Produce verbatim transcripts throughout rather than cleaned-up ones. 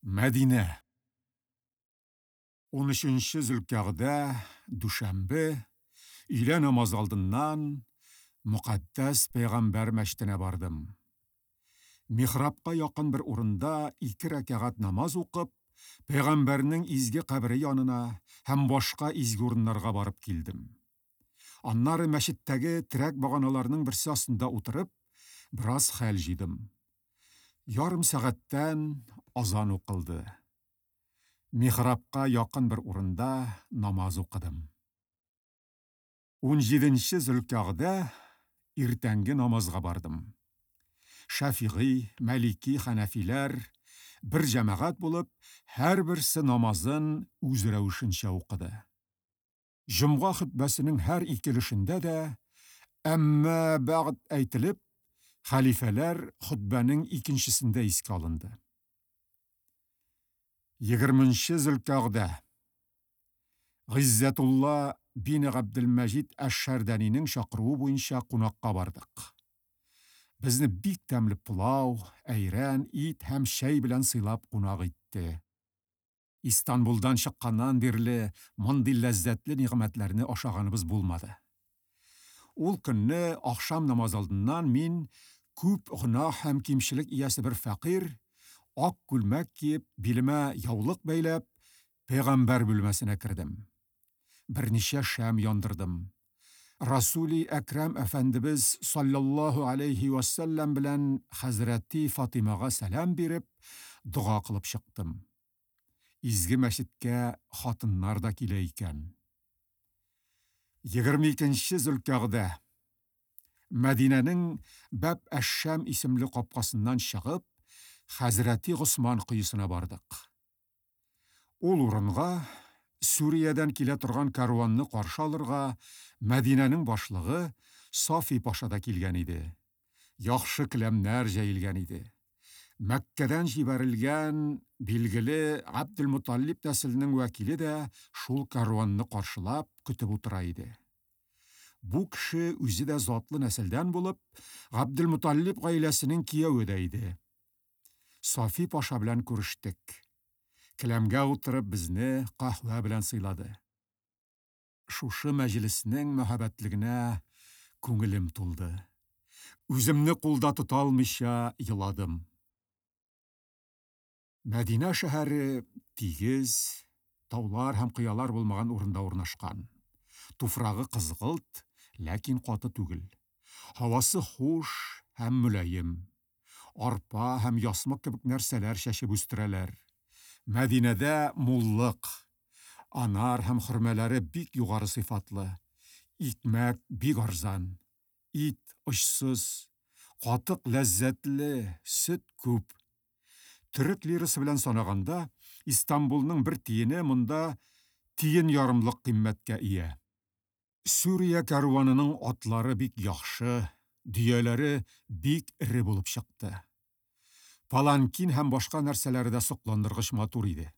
Мәдинә. Унөченче Зөлкәгъдә, дүшәмбе, өйлә намазы алдыннан Мөкаддәс пәйгамбәр мәчетенә бардым. Михрабка якын бер урында ике рәкәгать намаз укып, пәйгамбәрнең изге кабере янына һәм башка изге урыннарга барып килдем. Аннары мәчеттәге терәк баганаларның берсе астында утырып, бераз хәл җыйдым. Ярым сәгатьтән азан укылды. Михрабка якын бер урында намаз укыдым. Унҗиденче Зөлкәгъдә иртәнге намазга бардым. Шәфигый, Мәлики, Хәнәфиләр бер җәмәгать булып, һәрберсе намазын үз рәвешенчә укыды. Җомга хөтбәсенең һәр ике өлешендә дә әмма бәгъд әйтелеп, хәлифәләр хөтбәнең икенчесендә искә алынды. Егерменче Зөлкәгъдә Гыйззәтулла бине Габделмәҗид әш-Шәрдәнинең чакыруы буенча кунакка бардык. Безне бик тәмле пылау, әйрән, ит һәм чәй белән сыйлап кунак итте. Истанбулдан чыкканнан бирле мондый ләззәтле нигъмәтләрне ашаганыбыз булмады. Ул көнне ахшам намазы алдыннан мин күп гөнаһ һәм кимчелек иясе бер фәкыйрь, ак күлмәк киеп, билемә яулык бәйләп, пәйгамбәр бүлмәсенә кердем. Берничә шәм яндырдым. Расули Әкрәм әфәндебез саллаллаһу алейхи вәссәлләм белән хәзрәти Фатимага сәлам биреп, дога кылып чыктым. Изге мәчеткә хатыннар да килә икән. Егерме икенче Зөлкәгъдә Мәдинәнең Бәб әш-Шәм исемле капкасыннан чыгып, хәзрәти Госман коесына бардык. Ул урынга Сүриядән килә торган каруанны каршы алырга Мәдинәнең башлыгы Сафи паша да килгән иде. Яхшы келәмнәр җәелгән иде. Мәккәдән җибәрелгән билгеле Габделмуталлиб нәселенең вәкиле дә шул каруанны каршылап көтеп утыра иде. Бу кеше үзе дә затлы нәселдән булып, Габделмуталлиб гаиләсенең кияве дә иде. Сафи паша белән күрештек. Келәмгә утырып безне каһвә белән сыйлады. Шушы мәҗлеснең мәһабәтлегенә күңелем тулды. Үземне кулда тота алмыйча еладым. Мәдинә шәһәре тигез, таулар һәм кыялар булмаган урында урнашкан. Туфрагы кызгылт, ләкин каты түгел. Һавасы хуш һәм мөлаем. Арпа һәм ясмык кебек нәрсәләр чәчеп үстерәләр. Мәдинәдә муллык, анар һәм хөрмәләре бик югары сыйфатлы, икмәк бик арзан, ит очсыз, катык ләззәтле, сөт күп. Төрек лирасы белән санаганда, Истанбулның бер тиене монда тиен ярымлык кыйммәткә ия. Сүрия каруанының атлары бик яхшы, дөяләре бик эре булып чыкты. Паланкин һәм башка нәрсәләре дә сокландыргыч матур иде.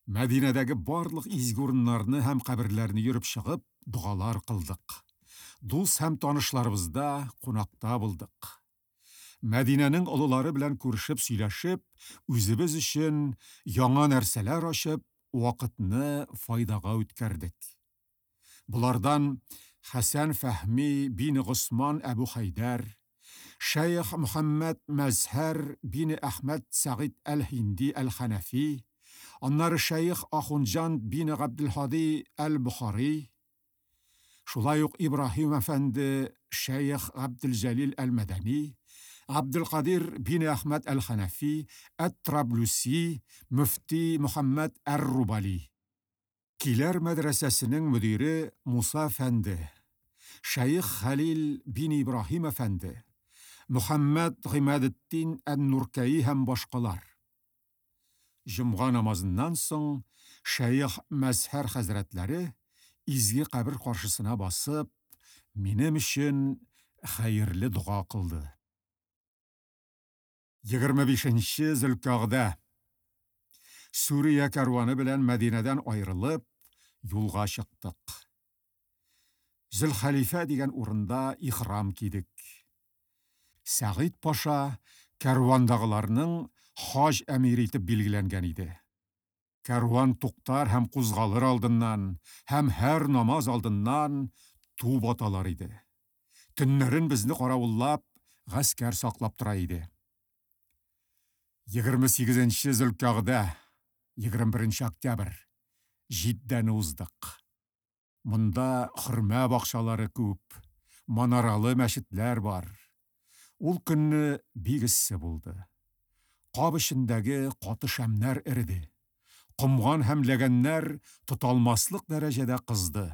Мәдинәдәге барлык изге урыннарны һәм каберләрне йөреп чыгып, догалар кылдык. Дус һәм танышларыбызда кунакта булдык. Мәдинәнең олылары белән күрешеп сөйләшеп, үзебез өчен яңа нәрсәләр ачып, вакытны файдага үткәрдек. Булардан Хәсән Фәһми бине Госман Әбу Хәйдәр, Шәйх Мөхәммәд Мәзһәр бине Әхмәд Сәгыйд әл-Һинди әл-Хәнәфи, аннары Шәйх Ахунҗан бине Габделһади әл-Бухари, шулай ук Ибраһим әфәнде Шәйх Габделҗәлил әл-Мәдәни, Габделкадир бине Әхмәд әл-Хәнәфи, әт-Траблюси, мөфти Мөхәммәд әр-Рубали. Киләр мәдрәсәсенең мөдире Муса әфәнде, Шәйх Хәлил бин Ибраһим әфәнде, Мөхәммәд Гыймадетдин ән-Нуркәи һәм башкалар. Җомга намазыннан соң Шәйх Мәзһәр хәзрәтләре изге кабер каршысына басып, минем өчен хәерле дога кылды. Егерме бишенче Зөлкәгъдә Сүрия каруаны белән Мәдинәдән аерылып, юлга чыктык. Зөлхәлифә дигән урында ихрам кидек. Сәгыйд паша каруандагыларның хаҗ әмире итеп билгеләнгән иде. Кәрван туктар һәм кузгалыр алдыннан һәм һәр намаз алдыннан туп аталар иде. Төннәрен безне каравыллап, гаскәр саклап тора иде. Егерме сигезенче Зөлкәгъдә, егерме беренче октябрь, Җиддәне уздык. Монда хөрмә бакчалары күп, манаралы мәчетләр бар. Ул көнне бик эссе булды. Кап эчендәге каты шәмнәр эреде. Комган һәм ләгәннәр тоталмаслык дәрәҗәдә кызды.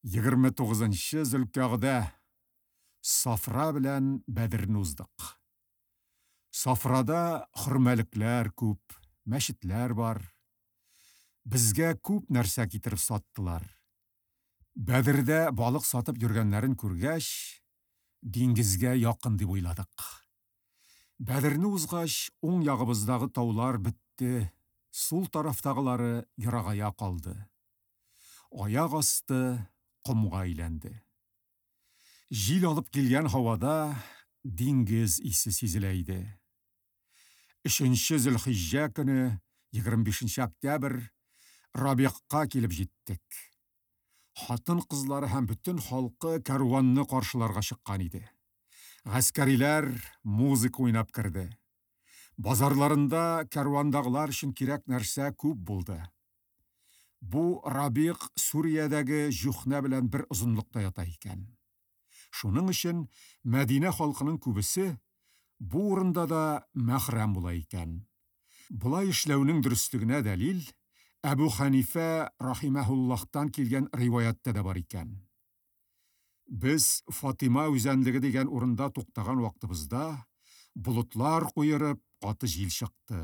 Егерме тугызынчы Зөлкәгъдә, Сафра белән Бәдерне уздык. Сафрада хөрмәлекләр күп, мәчетләр бар. Безгә күп нәрсә китереп саттылар. Бәдердә балык сатып йөргәннәрен күргәч, диңгезгә якын дип уйладык. Бәдерне узгач, уң ягыбыздагы таулар бетте, сул тарафтагылары ерагая калды. Аяк асты комга әйләнде. Җил алып килгән һавада диңгез исе сизелә иде. Өченче Зөлхиҗҗә көне, егерме бишенче октябрь, Рабиғка килеп җиттек. Хатын-кызлары һәм бөтен халкы кәрванны каршыларга чыккан иде. Гаскәриләр музыка уйнап керде. Базарларында кәрвандагылар өчен кирәк нәрсә күп булды. Бу Рабиғ Сүриядәге Җухнә белән бер озынлыкта ята икән. Шуның өчен Мәдинә халкының күбесе бу урында да мәхрәм була икән. Болай эшләүнең дөреслегенә дәлил Әбу Ханифә рахимәһуллаһтан килгән риваяттә дә бар икән. Без Фатима үзәнлеге дигән урында туктаган вакытыбызда болытлар куерып, каты җил чыкты.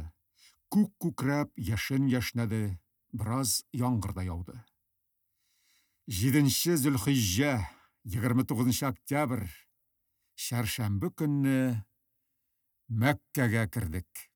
Күк күкрәп, яшен яшнәде, бераз яңгыр да яуды. Җиденче Зөлхиҗҗә, егерме тугызынчы октябрь, чәршәмбе көнне Мәккәгә кердек.